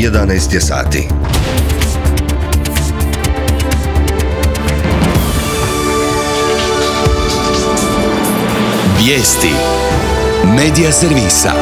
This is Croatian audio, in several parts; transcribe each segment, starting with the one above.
11 je sati. Vijesti Medija servisa.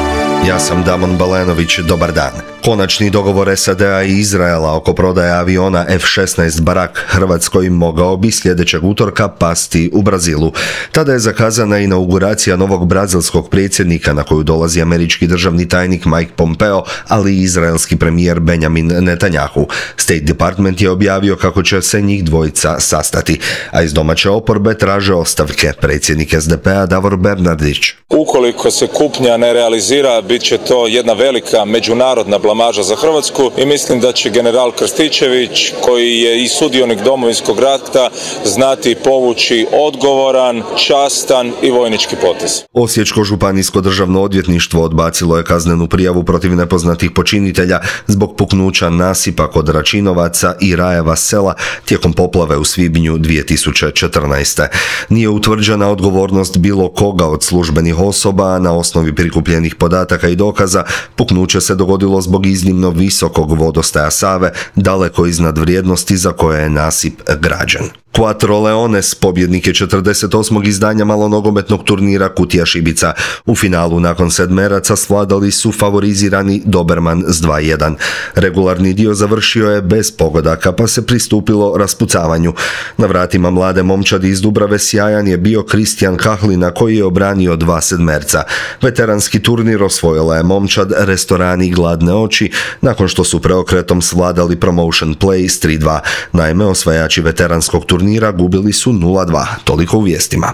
Ja sam Damon Balenović, dobar dan. Konačni dogovor SAD-a i Izraela oko prodaje aviona F-16 Barak Hrvatskoj mogao bi sljedećeg utorka pasti u Brazilu. Tada je zakazana inauguracija novog brazilskog predsjednika na koju dolazi američki državni tajnik Mike Pompeo, ali i izraelski premijer Benjamin Netanyahu. State Department je objavio kako će se njih dvojica sastati, a iz domaće oporbe traže ostavke predsjednik SDP-a Davor Bernardić. Ukoliko se kupnja ne realizira, bit će to jedna velika međunarodna blamaža za Hrvatsku i mislim da će general Krstičević, koji je i sudionik Domovinskog rata, znati povući odgovoran, častan i vojnički potez. Osječko županijsko državno odvjetništvo odbacilo je kaznenu prijavu protiv nepoznatih počinitelja zbog puknuća nasipa kod Račinovaca i Rajeva sela tijekom poplave u svibnju 2014. Nije utvrđena odgovornost bilo koga od službenih osoba, a na osnovi prikupljenih podataka i dokaza puknuće se dogodilo zbog iznimno visokog vodostaja Save, daleko iznad vrijednosti za koje je nasip građen. Quattro Leones pobjednik je 48. izdanja malonogometnog turnira Kutija Šibica. U finalu nakon sedmeraca svladali su favorizirani Doberman s 2:1. Regularni dio završio je bez pogodaka, pa se pristupilo raspucavanju. Na vratima mlade momčadi iz Dubrave sjajan je bio Kristijan Kahlina, koji je obranio 2 sedmerca. Veteranski turnir osvojila je momčad Restorani Gladne oči, nakon što su preokretom svladali Promotion Play s 3:2. Naime, osvajači veteranskog turnira gubili su 0:2. Toliko u vijestima.